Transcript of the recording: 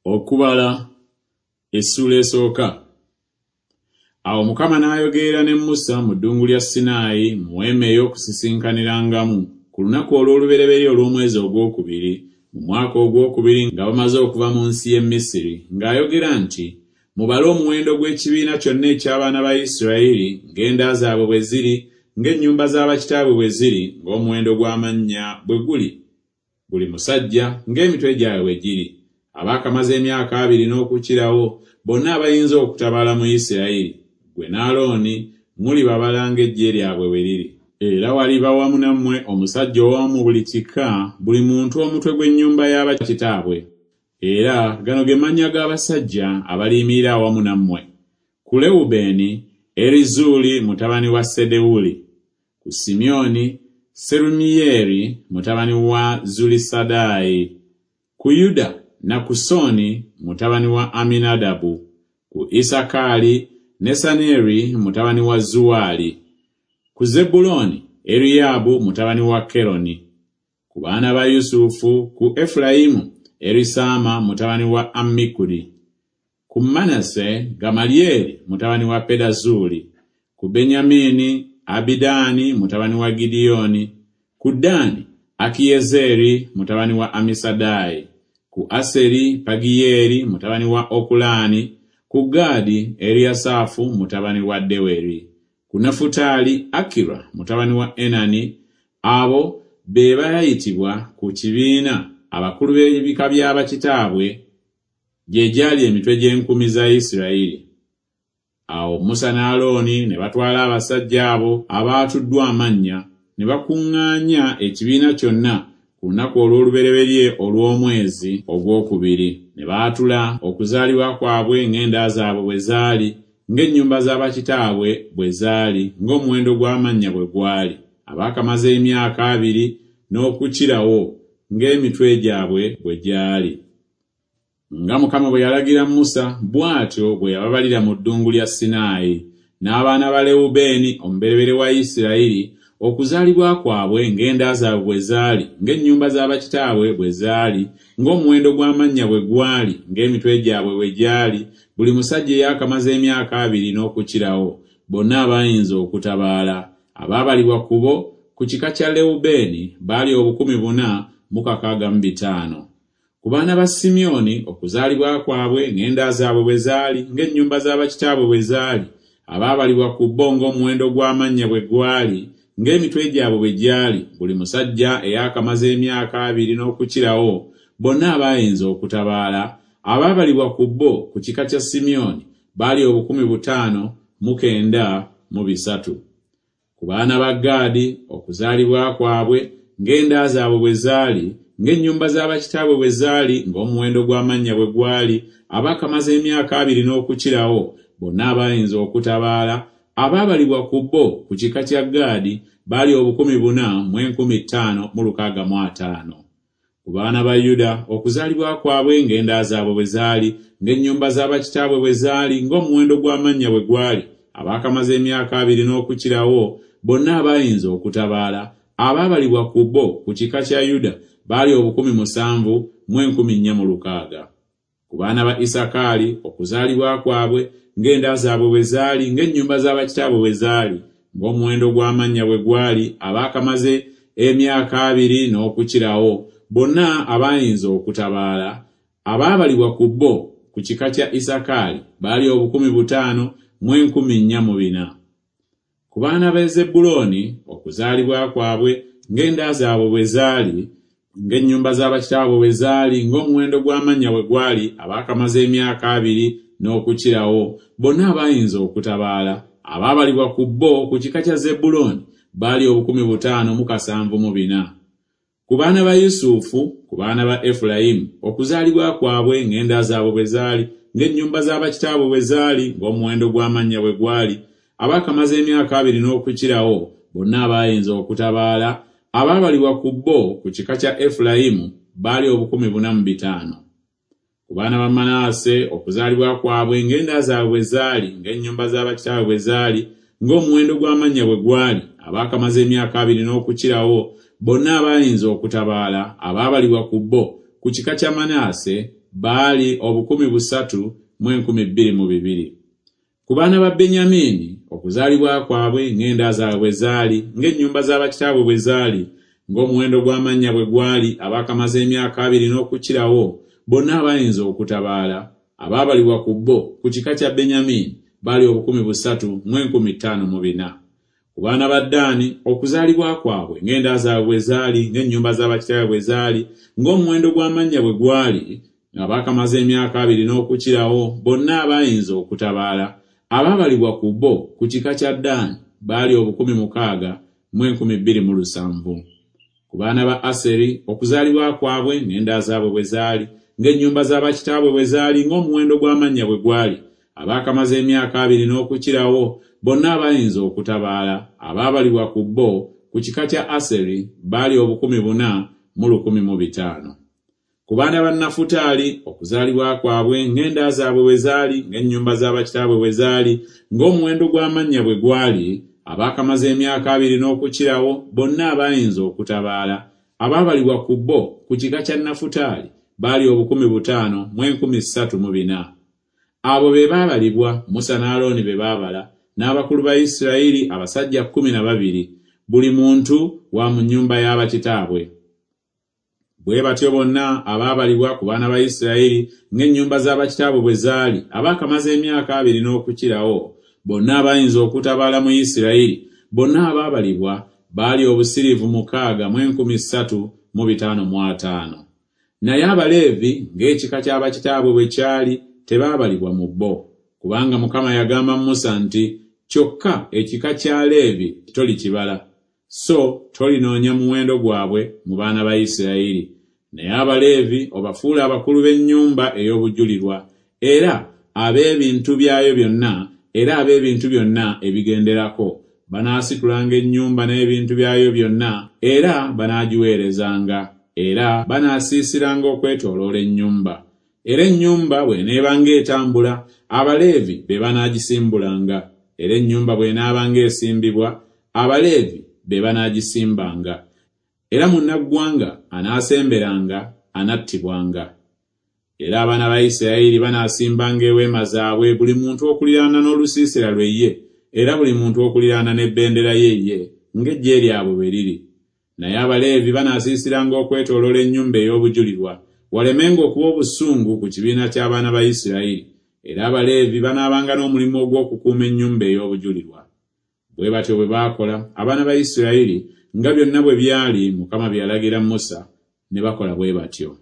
Okubala essuula esooka. Awo Mukama n'ayogerera ne Musa mu ddungu lya Sinaayi mu weema ey'okusisinkanirangamu ku lunaku olw'olubereberye olw'omwezi ogwokubiri mu mwaka ogwokubiri nga bamaze okuva mu nsi y'e Misiri, ng'ayogera nti, Mubale omuwendo gw'ekibiina kyonna eky'abaana ba Isirayiri ng'enda zaabwe bwe ziri, ng'ennyumba za bakitaabwe bwe ziri, ng'omuwendo gw'amannya bwe guli, buli musajja ng'emitwe gyabwe bwe giri, abaakamaze emyaka abiri n'okukirawo, bonna abayinza okutabaala mu Isirayiri, ggwe ne Alooni mulibabala ng'eggye lyabwe bwe liri. Era waliba wamu nammwe omusajja omu mu buli kika, buli muntu omutwe gw'ennyumba ya bakitaabwe. Era gano ge mannya g'abasajja abaliyimirira awamu nammwe, Ku Lewubeeni, Erizuuli mutabani wa Sedewuli. Ku Simyoni, Serumiyeeri mutabani wa Zulisadaayi, ku Yuda, Nakusoni mutabani wa Aminadabu, ku Isakaali, Nesaneri mutabani wa Zuwaali, ku Zebbulooni, Eriyaabu mutabani wa Keroni, ku baana ba Yusufu, ku Efulayimu, Erisaama mutabani wa Ammikudi. Ku Manase, Gamalyeri mutabani wa Pedazuuli, ku Benyamini, Abidaani mutabani wa Gidyoni, ku Ddaani, Akiyezeeri mutabani wa Amisadaayi, ku Aseri, Pagiyeeri mutabani wa Okulaani, ku Gaadi, Eriyasaafu mutabani wa Deweri, ku Nafutaali, Akira mutabani wa Enani. Abo be baayitibwa ku kibiina abakulu b'ebika bya bakitaabwe, gye gyali emitwe gy'enkumi za Isirayiri. Awo Musa ne Alooni ne batwala abasajja abo abaatuddwa amannya, ne bakuŋŋaanya ekibiina kyonna ku lunaku olw'olubereberye olw'omwezi ogwokubiri. Ne baatula okuzaalibwa kwabwe ng'enda zaabwe bwe zaali, ng'ennyumba za bakitaabwe bwe zaali, ng'omuwendo gw'amannya bwe gwali, abaakamaze emyaka abiri n'okukirawo, ng'emitwe gyabwe bwe gyali. Nga Mukama bwe yalagira Musa, bw'atyo bwe yababalira mu ddungu lya Sinaayi. N'abaana ba Lewubeeni omubereberye wa Isirayiri, okuzaalibwa kwabwe ng'enda zaabwe bwe zaali, ng'ennyumba za bakitaabwe bwe zaali, ng'omuwendo gw'amannya bwe gwali, ng'emitwe gyabwe bwe gyali, buli musajja eyaakamaze emyaka abiri n'okukirawo, bonna abaayinza okutabaala, abaabalibwa ku bo, ku kika kya Lewubeeni baali 4605. Ku baana ba Simyoni, okuzaalibwa kwabwe ng'enda zaabwe bwe zaali, ng'ennyumba za bakitaabwe bwe zaali, abaabalibwa ku bo ng'omuwendo gw'amannya bwe gwali, ng'emitwe gyabwe bwe gyali, buli musajja eyaakamaze emyaka abiri n'okukirawo, bonna abaayinza okutabaala, abaabalibwa ku bo ku kika kya Simyoni baali 5903. Ku baana ba Gaadi, okuzaalibwa kwabwe ng'enda zaabwe bwe zaali, ng'ennyumba za bakitaabwe bwe zaali, ng'omuwendo gw'amannya bwe gwali, abaakamaze emyaka abiri n'okukirawo, bonna abaayinza okutabaala, abaabalibwa ku bo ku kika kya Gaadi baali 4,565. Ku baana ba Yuda, okuzaalibwa kwabwe ng'enda zaabwe bwe zaali, ng'ennyumba za bakitaabwe bwe zaali, ng'omuwendo gw'amannya bwe gwali, abaakamaze emyaka abiri n'okukirawo, bonna abaayinza okutabaala, abaabalibwa ku bo ku kika kya Yuda baali 7,460. Ku baana ba Isakaali, okuzaalibwa kwabwe ng'enda zaabwe bwe zaali, ng'ennyumba za bakitaabwe bwe zaali, ng'omuwendo gw'amannya bwe gwali, abaakamaze emyaka abiri n'okukirawo, bonna abaayinza okutabaala, abaabalibwa ku bo ku kika kya Isakaali baali 5,404. Ku baana ba Zebbulooni, okuzaalibwa kwabwe ng'enda zaabwe bwe zaali, ng'ennyumba za bakitaabwe bwe zaali, ng'omuwendo gw'amannya bwe gwali, abaakamaze emyaka abiri n'okukirawo, bonna abaayinza okutabaala, abaabalibwa ku bo ku kika kya Zebbulooni baali 5,074. Ku baana ba Yusufu, ku baana ba Efulayimu, okuzaalibwa kwabwe ng'enda zaabwe bwe zaali, ng'ennyumba za bakitaabwe bwe zaali, ng'omuwendo gw'amannya bwe gwali, abaakamaze emyaka abiri n'okukirawo, bonna abaayinza okutabaala, abaabalibwa ku bo ku kika kya Efulayimu baali 4,500. Ku baana ba Manaase, okuzaalibwa kwabwe ng'enda zaabwe bwe zaali, ng'ennyumba za bakitaabwe bwe zaali, ng'omuwendo gw'amannya bwe gwali, abaakamaze emyaka abiri n'okukirawo, bonna abaayinza okutabaala, abaabalibwa ku bo ku kika kya Manaase baali 32,200. Ku baana ba Benyamini, okuzaalibwa kwabwe ng'enda zaabwe bwe zaali, ng'ennyumba za bakitaabwe bwe zaali, ng'omuwendo gw'amannya bwe gwali, abaakamaze emyaka abiri n'okukirawo, bonna abayinza okutabaala, abaabalibwa ku bo, ku kika kya Benyamini, baali 3,504. Ku baana ba Ddaani, okuzaalibwa kwabwe ng'enda zaabwe bwe zaali, ng'ennyumba za bakitaabwe bwe zaali, ng'omuwendo gw'amannya bwe gwali, abaakamaze emyaka abiri n'okukirawo, bonna abaayinza okutabaala, abaabalibwa ku bo, ku kika kya Ddaani, baali 6,207. Ku baana ba Aseri, okuzaalibwa kwabwe ng'enda zaabwe bwe zaali, ng'ennyumba za bakitaabwe bwe zaali, ng'omuwendo gw'amannya bwe gwali, abaakamaze emyaka abiri n'okukirawo, bonna abayinza okutabaala, abaabalibwa ku bo, ku kika kya Aseri, baali 4,105. Ku baana ba Nafutaali, okuzaalibwa kwabwe ng'enda zaabwe bwe zaali, ng'ennyumba za bakitaabwe bwe zaali, ng'omuwendo gw'amannya bwe gwali, abaakamaze emyaka abiri n'okukirawo, bonna abaayinza okutabaala, abaabalibwa ku bo, ku kika kya Nafutaali, baali 5,304. Abo be baabalibwa, Musa ne Alooni be baabala, n'abakulu ba Isirayiri abasajja 12, buli muntu wa mu nnyumba ya bakitaabwe. Bwe batyo bonna abaabalibwa ku baana ba Isirayiri ng'ennyumba za bakitaabwe bwe zaali, abaakamaze emyaka abiri n'okukirawo, bonna abaayinza okutabaala mu Isirayiri, bonna abaabalibwa baali 6,350. Naye Abaleevi ng'ekika kya bakitaabwe bwe kyali tebaabalibwa mu bo, kubanga Mukama yagamba Musa nti, Kyokka ekika kya Leevi tolikibala, so tolinoonya muwendo gwabwe mu baana ba Isirayiri. Naye Abaleevi obafuule abakulu b'ennyumba ey'obujulirwa, era ab'ebintu byayo byonna, era ab'ebintu byonna ebigenderako, banaasitulanga ennyumba n'ebintu byayo byonna, era banaagiweerezanga, era banaasiisiranga okwetooloola ennyumba. Era ennyumba bw'eneebanga etambula, Abaleevi be banaagisimbulanga, era ennyumba bw'enaabanga esimbibwa, Abaleevi be banaagisimbanga. Era munnaggwanga anaasemberanga anattibwanga. Era abaana ba Isirayiri banaasimbanga eweema zaabwe buli muntu okuliraana n'olusiisira lwe ye, era buli muntu okuliraana n'ebendera ye ye, ng'eggye lyabwe bwe liri. Naye Abaleevi banaasiisiranga okwetooloola ennyumba ey'obujulirwa, walemenga okuba obusungu ku kibiina ky'abaana ba Isirayiri. Era Abaleevi banaabanga n'omulimu ogw'okukuuma ennyumba ey'obujulirwa. Bwe batyo bwe baakola abaana ba Isirayiri, nga byonna bwe byali Mukama bye yalagira Musa, ne bakola bwe batyo.